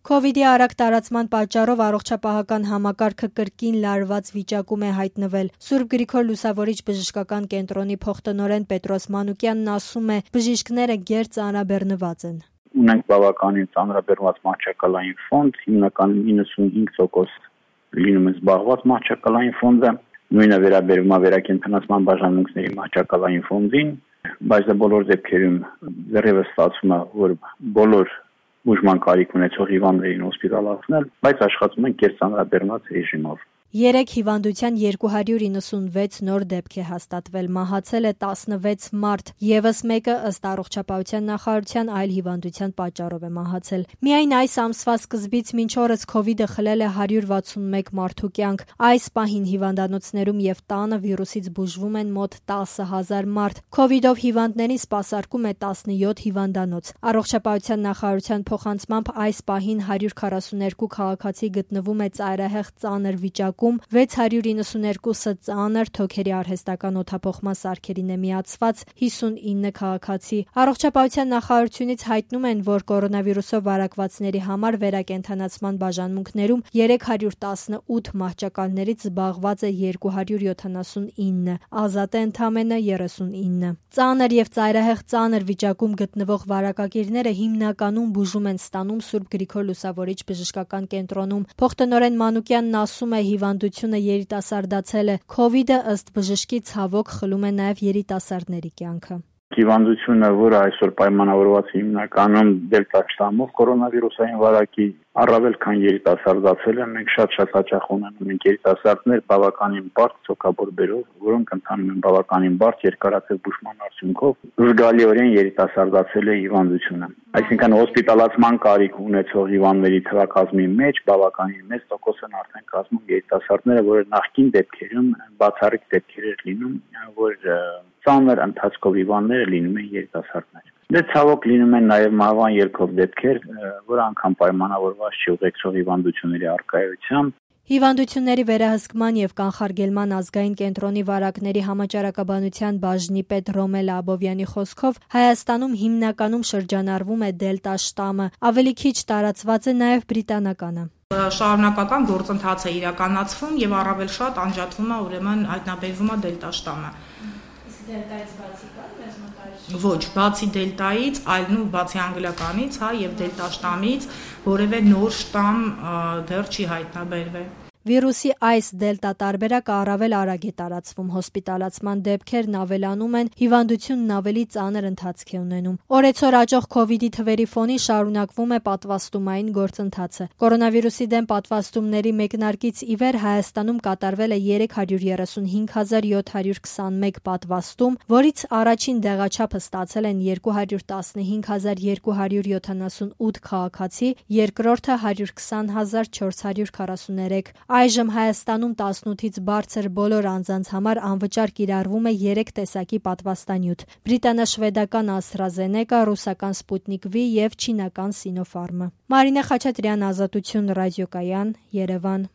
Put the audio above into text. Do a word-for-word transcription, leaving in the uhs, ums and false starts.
Քովիդի արագ տարածման պատճառով առողջապահական համակարգը կրկին լարված վիճակում է հայտնվել։ Սուրբ Գրիգոր Լուսավորիչ բժշկական կենտրոնի փոխտնօրեն Պետրոս Մանուկյանն ասում է, բժիշկները գեր ծանրաբեռնված են։ Ունենք բավականին ծանրաբեռնված մահճակալային ֆոնդ, հիմնականում իննսունհինգ տոկոս լինում է զբաղված մահճակալային ֆոնդը, նույնը վերաբերում է վերակենդանացման բաժանմունքների մահճակալային ֆոնդին, բայց դա բոլոր դեպքերում դեռևս ստացվում է, որ բոլոր ուժման կարիք ունեցող հիվանդներին հոսպիտալացնել, բայց աշխատում են կերծանրաբեռնված ռեժիմով։ Երեք հիվանդության երկու հարյուր իննսունվեց նոր դեպք է հաստատվել, մահացել է տասնվեց մարդ, ևս մեկը ըստ առողջապահության նախարարության այլ հիվանդության պատճառով է մահացել։ Միայն այս ամսվա սկզբից մինչ օրս քովիդը խլել է հարյուր վաթսունմեկ մարդու կյանք։ Այս պահին հիվանդանոցներում եւ տանը վիրուսից բուժվում են մոտ տասը հազար մարդ։ Քովիդով հիվանդներին սպասարկում է տասնյոթ հիվանդանոց։ Առողջապահության նախարարության փոխանցմամբ այս պահին հարյուր քառասուներկու քաղաքացի գտնվում է ծայրահեղ ծանր վիճակում, վեց հարյուր իննսուներկուսը ծանր թոքերի արհեստական օդափոխման սարքերին է միացված, հիսունինը քաղաքացի։ Առողջապահության նախարարությունից հայտնում են, որ կորոնավիրուսով վարակվածների համար վերակենդանացման բաժանմունքներում երեք հարյուր տասնութ մահճակալներից զբաղված է երկու հարյուր յոթանասունինը, ազատ է ընդամենը երեսունինը։ Ծանր եւ ծայրահեղ ծանր վիճակում գտնվող վարակակիրները հիմնականում բուժում են ստանում Սուրբ Գրիգոր Լուսավորիչ բժշկական կենտրոնում։ Փոխտնօրեն Մանուկյանն ասում է, հիվանդությունը երիտասարդացել է։ Քովիդը ըստ բժշկի ցավոք խլում է նաև երիտասարդների կյանքը։ Հիվանդությունը, որը այսօր պայմանավորված է հիմնականում դելտա շտամով կորոնավիրուսային վարակի, առավել քան երիտասարդացել է, մենք շատ-շատ հաճախ ունենում ենք երիտասարդներ բավականին բարդ ցոկաբորբերով, որոնք ընթանում են բավականին բարդ երկարատև բուժման արդյունքով, զգալիորեն երիտասարդացել է հիվանդությունը։ Այսինքն հոսպիտալացման կարիք ունեցող հիվանդների թվակազմի մեջ բավականին մեծ տոկոս են արդեն կազմում երիտասարդները, որը նախկին դեպքերում բացառիկ դեպքեր էր լինում, որ ծանր ընթացքով հիվանդները լինում են երիտասարդներ։ Դե ցավոք լինում են նաև մահվան ելքով դեպքեր, որ անգամ պայմանավորված չի ուղեկցող հիվանդությունների առկայությամբ։ Հիվանդությունների վերահսկման եւ կանխարգելման ազգային կենտրոնի վարակների համաճարակաբանության բաժնի պետ Ռոմել Աբովյանի խոսքով Հայաստանում հիմնականում շրջանառվում է դելտա շտամը, ավելի քիչ տարածված է նաեւ բրիտանականը։ Շարունակական գործընթաց է իրականացվում եւ առավել շատ անջատվում է, ուրեմն հայտնաբերվում է դելտա շտամը։ Դելտայից բացի կա մեզ մոտ Ոչ, բացի դելտայից, այլ նու բացի անգլիականից, հա, եւ դելտա շտամից որևէ նոր շտամ դեռ չի հայտնաբերվել։ Վիրուսի այս դելտա տարբերակը առավել արագ է տարածվում, հոսպիտալացման դեպքերն ավելանում են, հիվանդությունն ավելի ծանր ընթացք է ունենում։ Օրեցօր աճող քովիդի թվերի ֆոնին շարունակվում է պատվաստումային գործընթացը։ Կորոնավիրուսի դեմ պատվաստումների մեկնարկից ի վեր Հայաստանում կատարվել է երեք հարյուր երեսունհինգ հազար յոթ հարյուր քսանմեկ պատվաստում, որից առաջին դեղաչափը ստացել են երկու հարյուր տասնհինգ հազար երկու հարյուր յոթանասունութ քաղաքացի, երկրորդը հարյուր քսան հազար չորս հարյուր քառասուներեք։ Այժմ Հայաստանում տասնութից բարձր բոլոր անձանց համար անվճար կիրառվում է երեք տեսակի պատվաստանյութ՝ բրիտանա-շվեդական AstraZeneca, ռուսական Sputnik V եւ չինական Sinopharm-ը։ Մարինե Խաչատրյան, Ազատություն ռադիոկայան, Երևան։